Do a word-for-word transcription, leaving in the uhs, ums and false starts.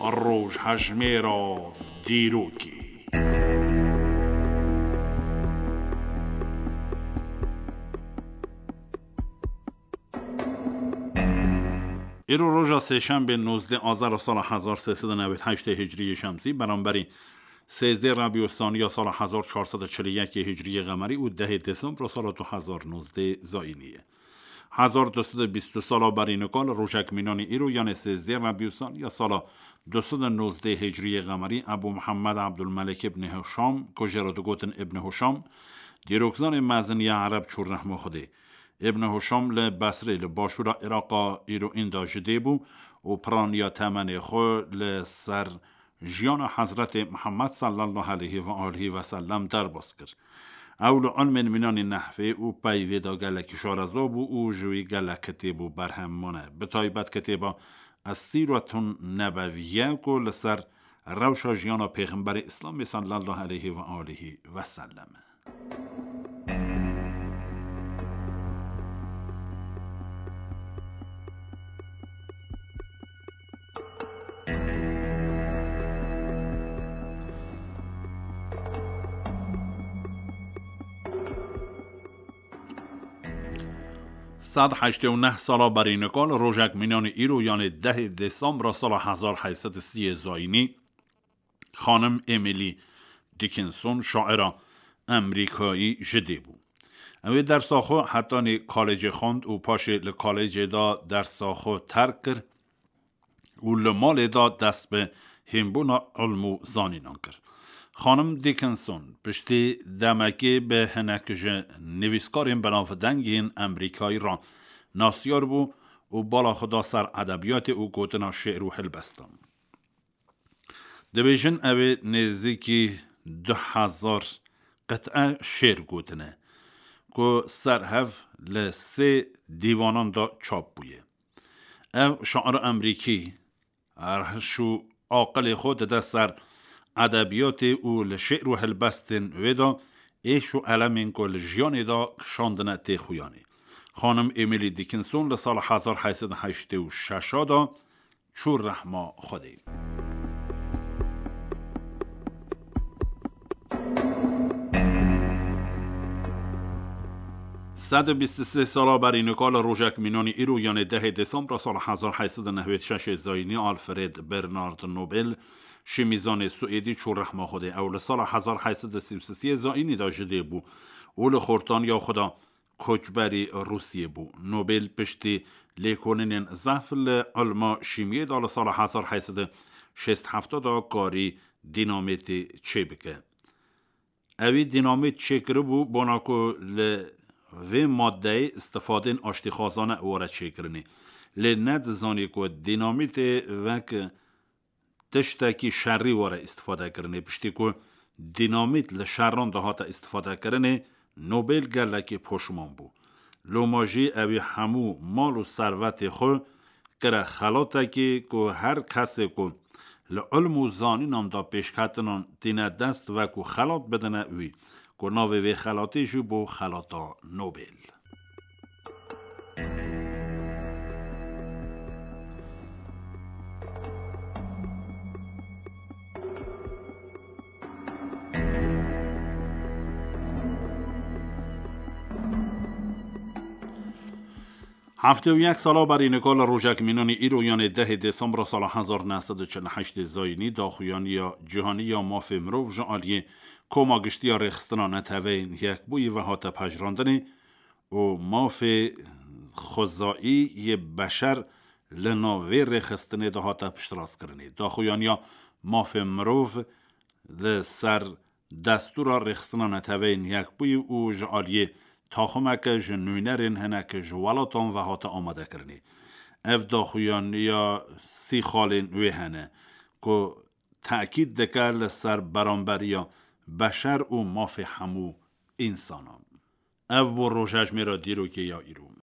Rojhejmêra dîrokê. Îro roja sêşembê nozdeh azar sala hezar sê sed û newêd heştê hicriyê şemsî, beramberî sêzdeh Rebî Saniya sala hezar çar sed û çil û yekê hicriyê qemerî û dehê Desembra sala du hezar nozdeh zayînî ye. Hezar du sed û bîst sala berî nika li rojek mînanî îro, yanê sêzdeh Rebî Saniya sala du sed û nozdeh hicriyê qemerî, Ebû Mihemed Ebdulmelek îbn Hişam, ku jê re digotin Îbn Hişam, dîrokzanê mezin ya Ereb çû rehma Xwedê. Îbn Hişam li Besrê, li başûra Îraqa îro ênda ji dê bû û piraniya temenê xwe li ser jiyana Hezretê Mihemed sallallahu aleyhi ve alihi ve sellem derbas kir. Ew li ilmên mînanî nehvê û peyvê de gelekî şareza bû û ji wî gelek kitêb û berhem mane. Bi taybet kitêba Es-Sîretun Nebeviye ku li ser rewşa jiyana Pêxemberê Îslamê sallallahu aleyhi ve alihi ve sellem e. Sed heştê û neh sala berî nika li rojek mînanî îro, yanê dehê Desembra sala hezar heyt sed û sî zayînî, Xanim Emily Dickinson, şaira Amerîkayî ji dê bû. Ew ê dersa xwe hetanî kalêcê xwend û paşê li kalêcê de dersa xwe terk kir û li malê de dest bi hînbûna ilm û zanînan kir. Xanim Dickinson piştî demekê bi hinek ji nivîskarên binavdeng yên Amerîkayî re nasyar bû û bala xwe da ser edebiyatê û gotina şê'r û helbestan. Dibêjin ew ê nêzîkî du hezar qit'e şêr gotine, ku ser hev li sê dîwanan de çap bûye. Ev şair Amerîkî rihş û aqilê xwe dide ser edebiyatê û li şê'r û helbestên wê de êş û elemên ku li jiyanê de kişandine tê xuyanê. Xanim Emily Dickinson li sala hezar heyt sed û heştê û şeş de çû rehma Xwedê. Sed û bîst û sê sala berî nika li rojek mînanî îro, yanê dehê Desembra sala hezar heyt sed û newêd şeşê zayînî, Alfred Bernard Nobel, şîmîzanê Swêdî çû rehma Xwedê. Ew li sala hezar heyt sed û sî û sê zayînî de ji dê bû û li xortaniya xwe de koçberî Rûsiyê bû. Nobel piştî lêkolinên zehf li ilma şîmiyê de li sala hezar heyt sed û şêst heft de karî dînamîtê çêbike. Ewî dînamît çêkiribû bona ku li vê maddeyê îstifadên aştîxwazane were çêkirinê. Lê nedizanî ku dînamîtê wek tiştekî şerî were îstifade kirinê. Piştî ku dînamît li şeran de hate îstifade kirinê, Nobel gelekî poşman bû. Loma jî ewî hemû mal û servetê xwe kire xelatekê ku her kesê ku li ilm û zanînan de pêşketinan tîne dest, wekû xelat bidine wî, ku navê vê xelatê jî bû Xelata Nobel. Heftê û yek sala berî nika li rojek mînanî îro, yanê dehê Desembra sala hezar neh sed û çil û heştê zayînî, daxuyaniya cîhanî ya mafê mirov ji aliyê Koma Giştî ya Rêxistina Neteweyên Yekbûyî ve hate pejirandinê û mafê xwezayî yê beşer li nav vê rêxistinê de hate piştrastkirinê. Daxuyaniya mafê mirov li ser destûra Rêxistina Neteweyên Yekbûyî û ji aliyê taximeke ji nûnerên hinek ji welatan ve hate amadekirinê. Ev daxuyaniya sî xalên wê hene ku tekîd dike li ser beramberiya beşer û mafê hemû însanan. Ev bû rojejmêra dîrokê ya îro.